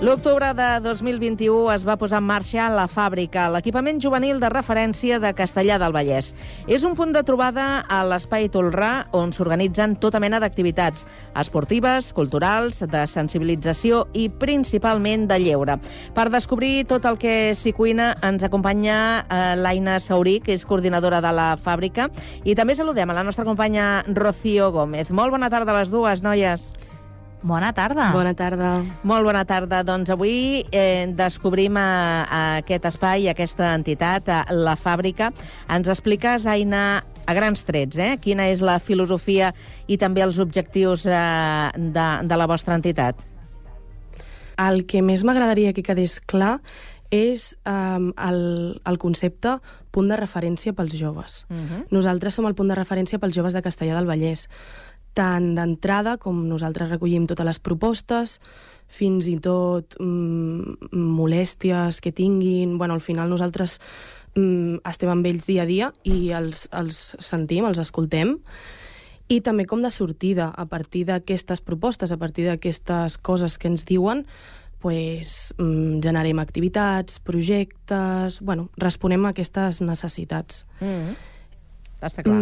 L'octubre de 2021 es va posar en marxa la Fàbrica, l'equipament juvenil de referència de Castellar del Vallès. És un punt de trobada a l'Espai Tolrà, on s'organitzen tota mena d'activitats esportives, culturals, de sensibilització i principalment de lleure. Per descobrir tot el que s'hi cuina ens acompanya l'Aina Saurí, que és coordinadora de la Fàbrica, i també saludem a la nostra companya Rocío Gómez. Molt bona tarda a les dues, noies. Bona tarda. Bona tarda. Molt bona tarda. Doncs avui descobrim aquest espai, aquesta entitat, la Fàbrica. Ens expliques, Aina, a grans trets, quina és la filosofia i també els objectius de la vostra entitat? El que més m'agradaria que quedés clar és el concepte punt de referència pels joves. Nosaltres som el punt de referència pels joves de Castellar del Vallès. Tant d'entrada, com nosaltres recollim totes les propostes, fins i tot molèsties que tinguin. Bueno, al final nosaltres estem amb ells dia a dia i els sentim, els escoltem. I també com de sortida, a partir d'aquestes propostes, a partir d'aquestes coses que ens diuen, pues, generem activitats, projectes... Bueno, responem a aquestes necessitats. Està clar.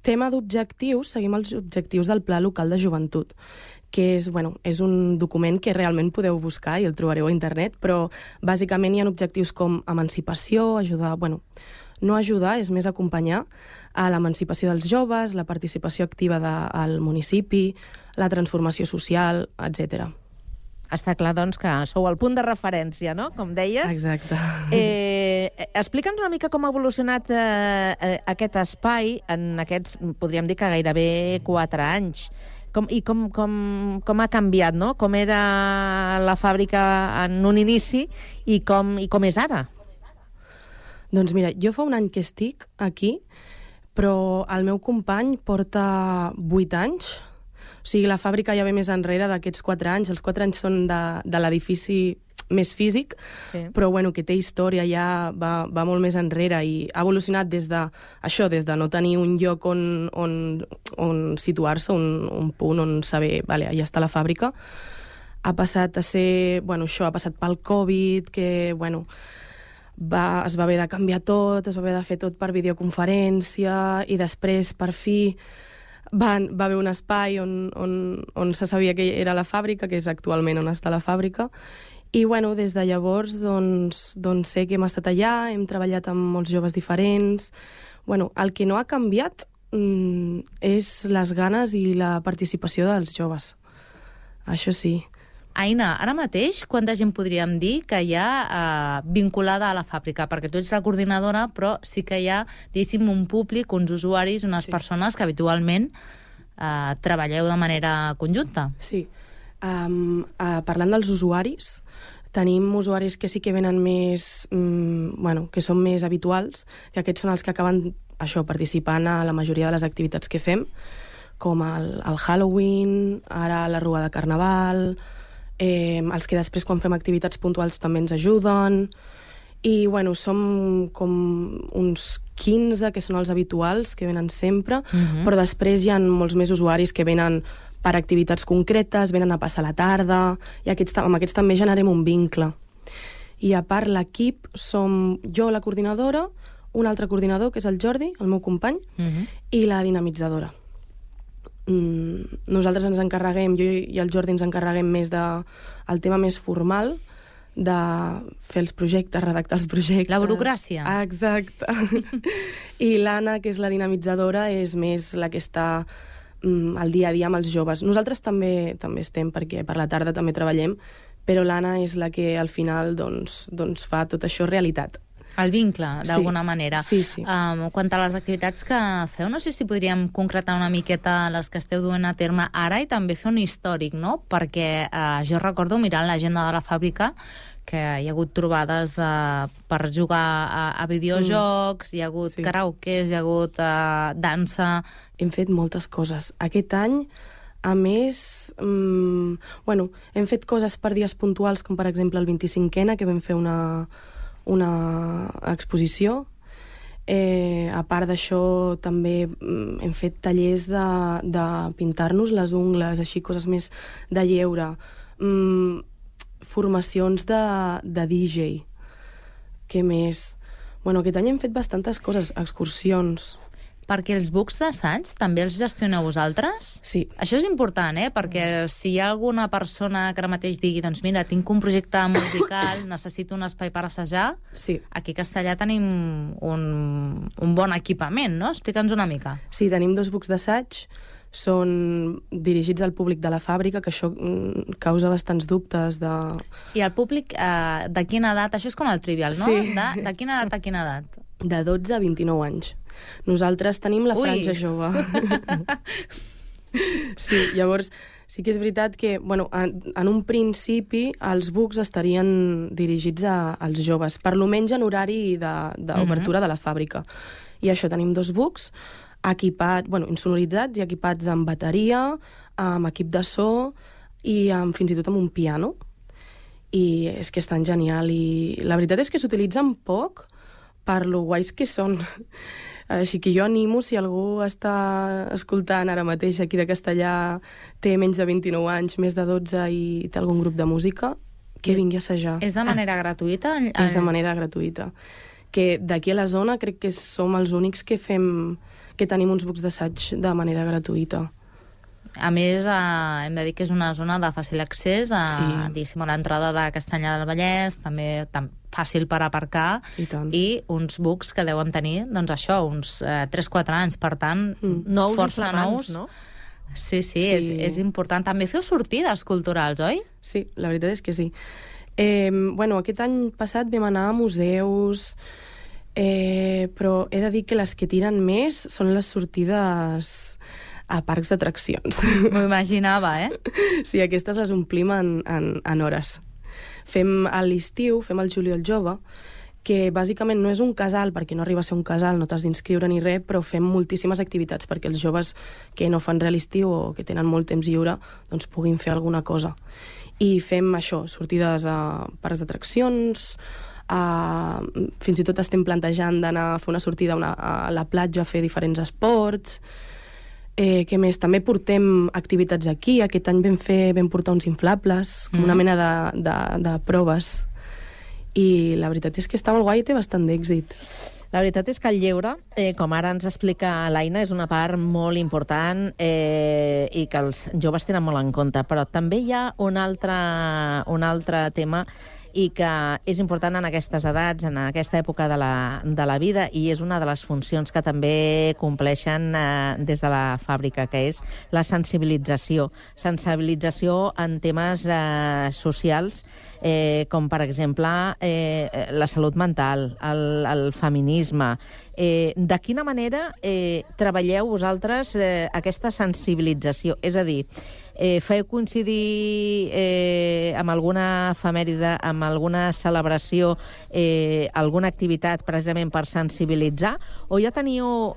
Tema d'objectius, seguim els objectius del Pla Local de Joventut, que és un document que realment podeu buscar i el trobareu a internet, però bàsicament hi ha objectius com emancipació, ajudar... no ajudar, és més acompanyar a l'emancipació dels joves, la participació activa del municipi, la transformació social, etc. Està clar, doncs, que sou el punt de referència, no?, com deies. Exacte. Explica'ns una mica com ha evolucionat aquest espai en aquests, podríem dir que gairebé 4 anys. Com ha canviat, no?, com era la Fàbrica en un inici i com és ara. Doncs mira, jo fa un any que estic aquí, però el meu company porta 8 anys. O sigui, la Fàbrica ja ve més enrere d'aquests 4 anys. Els 4 anys són de l'edifici més físic, sí. Però que té història, ja va molt més enrere i ha evolucionat des de no tenir un lloc on situar-se, un punt on saber, vale, allà està la Fàbrica. Ha passat a ser... això ha passat pel Covid, que, es va haver de canviar tot, es va haver de fer tot per videoconferència i després, per fi... va haver un espai on se sabia que era la Fàbrica, que és actualment on està la Fàbrica, i des de llavors sé que hem estat allà, hem treballat amb molts joves diferents. El que no ha canviat és les ganes i la participació dels joves. Això sí. Aina, ara mateix, quanta gent podríem dir que hi ha vinculada a la Fàbrica? Perquè tu ets la coordinadora, però sí que hi ha, diguéssim, un públic, uns usuaris, unes persones que habitualment treballeu de manera conjunta. Sí. Parlant dels usuaris, tenim usuaris que sí que venen més... que són més habituals, que aquests són els que acaben participant a la majoria de les activitats que fem, com el Halloween, ara la Rua de Carnaval... els que després, quan fem activitats puntuals, també ens ajuden. I, som com uns 15, que són els habituals, que venen sempre, però després hi ha molts més usuaris que venen per activitats concretes, venen a passar la tarda, i amb aquests també generem un vincle. I a part, l'equip som jo, la coordinadora, un altre coordinador, que és el Jordi, el meu company, i la dinamitzadora. Nosaltres ens encarreguem, jo i el Jordi ens encarreguem més del tema més formal, de fer els projectes, redactar els projectes... La burocràcia. Exacte. I l'Anna, que és la dinamitzadora, és més la que està al dia a dia amb els joves. Nosaltres també estem, perquè per la tarda també treballem, però l'Anna és la que al final fa tot això realitat. El vincle, d'alguna manera. Sí. Quant a les activitats que feu, no sé si podríem concretar una miqueta les que esteu duent a terme ara i també fer un històric, no? Perquè jo recordo, mirant l'agenda de la Fàbrica, que hi ha hagut trobades per jugar a videojocs, hi ha hagut karaokes, hi ha hagut dansa... Hem fet moltes coses. Aquest any, a més, hem fet coses per dies puntuals, com per exemple el 25ena, que vam fer una exposició. A part d'això, també hem fet tallers de pintar-nos les ungles, així, coses més de lleure. formacions de DJ. Què més? Bueno, aquest any hem fet bastantes coses, excursions. Perquè els books d'assaig també els gestioneu vosaltres? Sí. Això és important, perquè si hi ha alguna persona que ara mateix digui doncs mira, tinc un projecte musical, necessito un espai per assajar, sí. Aquí a Castellà tenim un bon equipament, no? Explica'ns una mica. Sí, tenim 2 books d'assaig, són dirigits al públic de la fàbrica, que això causa bastants dubtes de... I el públic de quina edat? Això és com el Trivial, no? Sí. De quina edat a quina edat? De 12 a 29 anys. Nosaltres tenim la franja jove. Sí, llavors sí que és veritat que, bueno, en un principi els books estarien dirigits als joves, per lo menys en horari d'obertura de la fàbrica. I això, tenim 2 books equipats, bueno, insonoritzats i equipats amb bateria, amb equip de so i fins i tot amb un piano. I és que estan genial. I la veritat és que s'utilitzen poc per lo guais que són. Així que jo animo, si algú està escoltant ara mateix aquí de Castellà, té menys de 29 anys, més de 12 i té algun grup de música, que vingui a assajar. És de manera gratuïta? És de manera gratuïta. Que d'aquí a la zona crec que som els únics que tenim uns books d'assaig de manera gratuïta. A més, hem de dir que és una zona de fàcil accés a l'entrada de Castellà del Vallès, també fàcil per aparcar, i uns books que deuen tenir, doncs això, uns 3-4 anys, per tant, força nous, no? Sí, és important. També feu sortides culturals, oi? Sí, la veritat és que sí. Bueno, aquest any passat vam anar a museus, però he de dir que les que tiren més són les sortides a parcs d'atraccions. M'ho imaginava, Sí, aquestes les omplim en hores. Fem a l'estiu, fem el Juliol Jove, que bàsicament no és un casal, perquè no arriba a ser un casal, no t'has d'inscriure ni res, però fem moltíssimes activitats perquè els joves que no fan res a l'estiu o que tenen molt temps lliure doncs puguin fer alguna cosa. I fem això, sortides a parcs d'atraccions, fins i tot estem plantejant d'anar a fer una sortida a la platja a fer diferents esports. Què més? També portem activitats aquí. Aquest any vam portar uns inflables, com una mena de proves. I la veritat és que està molt guai i té bastant d'èxit. La veritat és que el lleure, com ara ens explica l'Aina, és una part molt important i que els joves tenen molt en compte. Però també hi ha un altre tema i que és important en aquestes edats, en aquesta època de la vida, i és una de les funcions que també compleixen des de la fàbrica, que és la sensibilització. Sensibilització en temes socials, com per exemple la salut mental, el feminisme. De quina manera treballeu vosaltres aquesta sensibilització? És a dir, feu coincidir amb alguna efemèride, amb alguna celebració, alguna activitat precisament per sensibilitzar, o ja teniu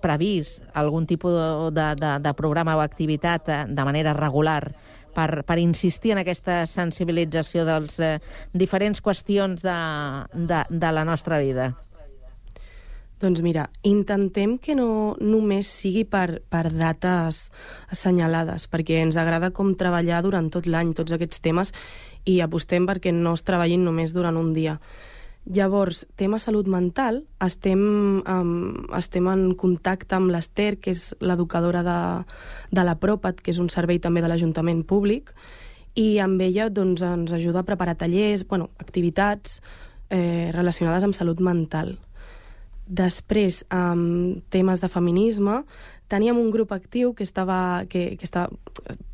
previst algun tipus de programa o activitat de manera regular per insistir en aquesta sensibilització de les diferents qüestions de la nostra vida? Doncs mira, intentem que no només sigui per dates assenyalades, perquè ens agrada com treballar durant tot l'any tots aquests temes i apostem perquè no es treballin només durant un dia. Llavors, tema salut mental, estem en contacte amb l'Ester, que és l'educadora de la Propat, que és un servei també de l'Ajuntament públic, i amb ella doncs, ens ajuda a preparar tallers, activitats relacionades amb salut mental. Després, amb temes de feminisme, teníem un grup actiu que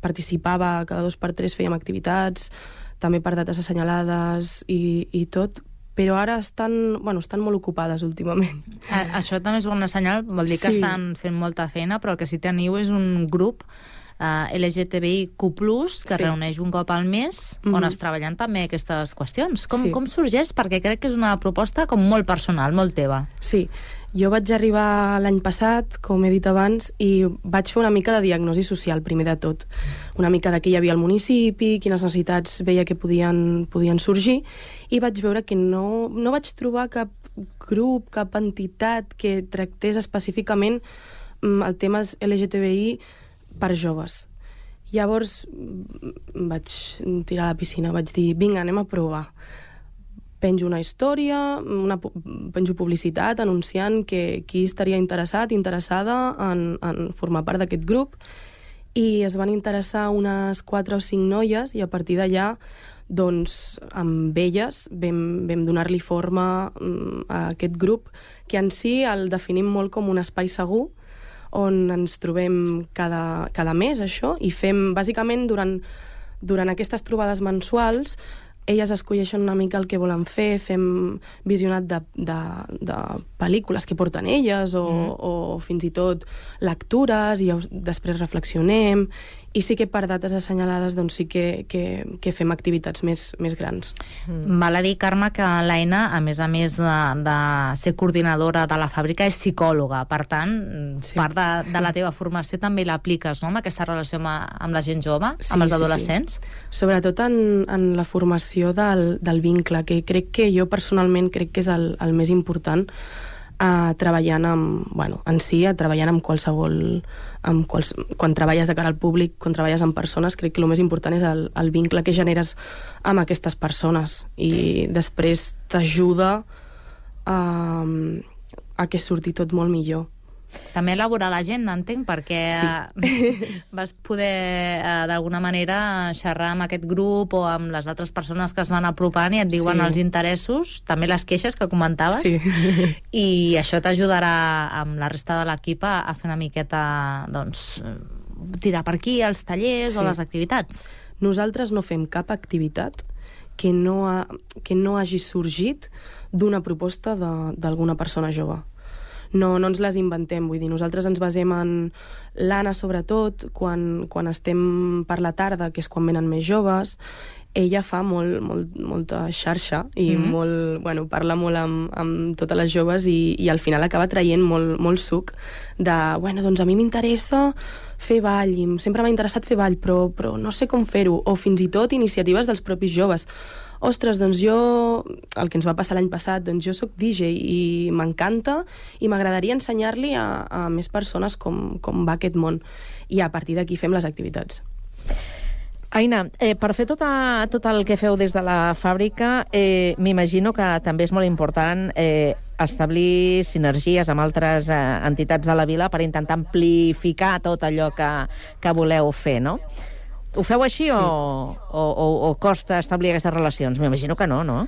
participava cada 2 per 3, fèiem activitats, també per dates assenyalades i tot, però ara estan molt ocupades últimament. Això també és bona senyal, vol dir que estan fent molta feina, però el que sí teniu és un grup LGTBIQ+, que reuneix un cop al mes, on es treballen també aquestes qüestions. Com sorgeix? Perquè crec que és una proposta com molt personal, molt teva. Sí, jo vaig arribar l'any passat, com he dit abans, i vaig fer una mica de diagnosi social, primer de tot. Una mica de què hi havia al municipi, quines necessitats veia que podien sorgir, i vaig veure que no vaig trobar cap grup, cap entitat que tractés específicament el tema LGTBI per joves. Llavors vaig tirar a la piscina, vaig dir, vinga, anem a provar. Penjo una història, penjo publicitat anunciant que qui estaria interessada en formar part d'aquest grup, i es van interessar unes 4 o 5 noies, i a partir d'allà doncs amb elles vam donar-li forma a aquest grup, que en si el definim molt com un espai segur, on ens trobem cada mes, això, i fem, bàsicament, durant aquestes trobades mensuals, elles escolleixen una mica el que volen fer, fem visionat de pel·lícules que porten elles, o fins i tot lectures, i després reflexionem, i sí que per dates assenyalades doncs sí que fem activitats més grans. Val a dir, Carme, que l'Aina, a més de ser coordinadora de la fàbrica, és psicòloga. Per tant, part de la teva formació també l'apliques, no?, amb aquesta relació amb la gent jove, amb els adolescents? Sí. Sobretot en la formació del vincle, que crec que jo personalment crec que és el més important, treballant treballant amb qualsevol... quan treballes de cara al públic, quan treballes amb persones, crec que el més important és el vincle que generes amb aquestes persones, i després t'ajuda a que surti tot molt millor. També elaborar l'agenda, entenc, perquè vas poder d'alguna manera xerrar amb aquest grup o amb les altres persones que es van apropant i et diuen els interessos, també les queixes que comentaves, i això t'ajudarà amb la resta de l'equip a fer una miqueta, doncs, tirar per aquí els tallers o les activitats. Nosaltres no fem cap activitat que no hagi sorgit d'una proposta d'alguna persona jove. No ens les inventem, vull dir, nosaltres ens basem en l'Anna, sobretot, quan estem per la tarda, que és quan venen més joves. Ella fa molta xarxa i parla molt amb totes les joves, i al final acaba traient molt suc de, doncs a mi m'interessa fer ball, i sempre m'ha interessat fer ball, però no sé com fer-ho, o fins i tot iniciatives dels propis joves. Ostres, doncs jo, el que ens va passar l'any passat, doncs jo soc DJ i m'encanta, i m'agradaria ensenyar-li a més persones com va aquest món. I a partir d'aquí fem les activitats. Aina, per fer tot el que feu des de la fàbrica, m'imagino que també és molt important establir sinergies amb altres entitats de la vila per intentar amplificar tot allò que voleu fer, no? Ho feu així o costa establir aquestes relacions? M'imagino que no, no?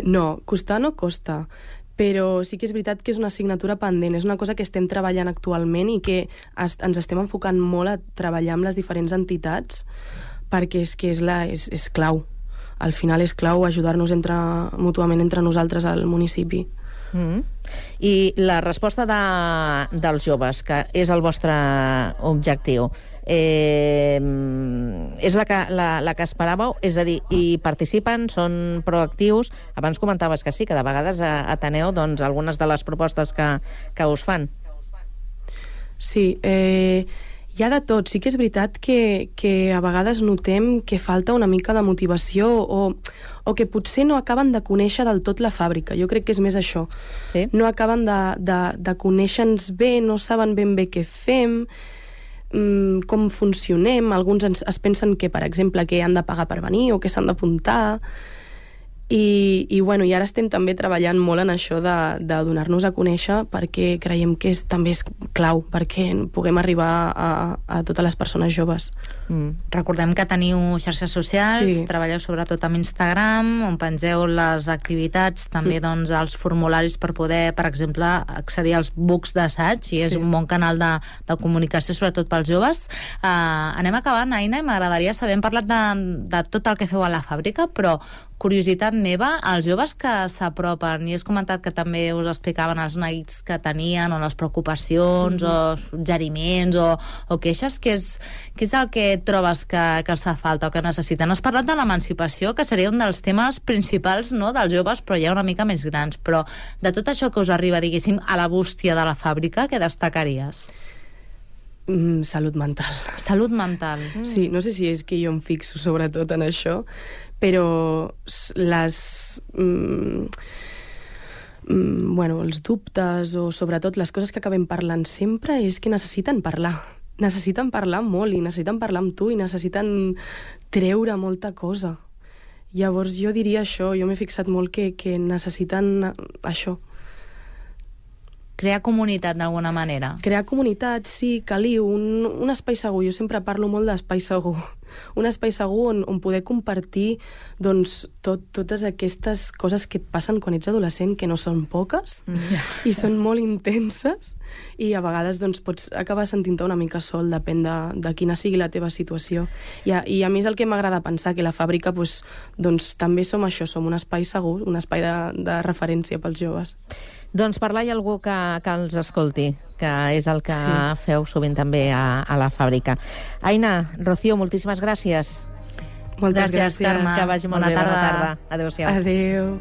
No, costar no costa, però sí que és veritat que és una assignatura pendent, és una cosa que estem treballant actualment i que ens estem enfocant molt a treballar amb les diferents entitats, perquè és que és clau. Al final és clau ajudar-nos mútuament entre nosaltres al municipi. I la resposta dels joves, que és el vostre objectiu, és la que esperàveu? És a dir, hi participen, són proactius? Abans comentaves que sí, que de vegades ateneu algunes de les propostes que us fan. Sí, hi ha de tot. Sí que és veritat que a vegades notem que falta una mica de motivació o que potser no acaben de conèixer del tot la fàbrica. Jo crec que és més això. Sí. No acaben de conèixer-nos bé, no saben ben bé què fem, com funcionem. Alguns es pensen que, per exemple, que han de pagar per venir o que s'han d'apuntar. I ara estem també treballant molt en això de donar-nos a conèixer, perquè creiem que també és clau perquè puguem arribar a totes les persones joves. Recordem que teniu xarxes socials, treballeu sobretot amb Instagram, on pengeu les activitats, també els formularis per poder, per exemple, accedir als books d'assaig, i és un bon canal de comunicació, sobretot pels joves. Anem acabant, Aina, i m'agradaria saber, hem parlat de tot el que feu a la fàbrica, però curiositat meva, els joves que s'apropen, i has comentat que també us explicaven els neguits que tenien, o les preocupacions, o suggeriments, o queixes, què és el que trobes que els fa falta o que necessiten? Has parlat de l'emancipació, que seria un dels temes principals, no?, dels joves, però ja una mica més grans. Però de tot això que us arriba, diguéssim, a la bústia de la fàbrica, què destacaries? Salut mental. Salut mental. Sí, no sé si és que jo em fixo sobretot en això, però els dubtes o sobretot les coses que acabem parlant sempre és que necessiten parlar. necessiten parlar molt, i necessiten parlar amb tu, i necessiten treure molta cosa. Llavors jo diria això, jo m'he fixat molt que necessiten això. Crear comunitat d'alguna manera. Crear comunitat, sí, caliu, un espai segur. Jo sempre parlo molt d'espai segur. Un espai segur on poder compartir doncs, totes aquestes coses que et passen quan ets adolescent, que no són poques, i són molt intenses, i a vegades doncs, pots acabar sentint-te una mica sol, depèn de quina sigui la teva situació. I a mi és el que m'agrada pensar, que la fàbrica doncs, també som això, som un espai segur, un espai de referència pels joves. Doncs parlar hi ha algú que els escolti, que és el que feu sovint també a la fàbrica. Aina, Rocío, moltíssimes gràcies. Moltes gràcies. Carme. Que vagi molt bé. Bona tarda. Adéu-siau. Adéu.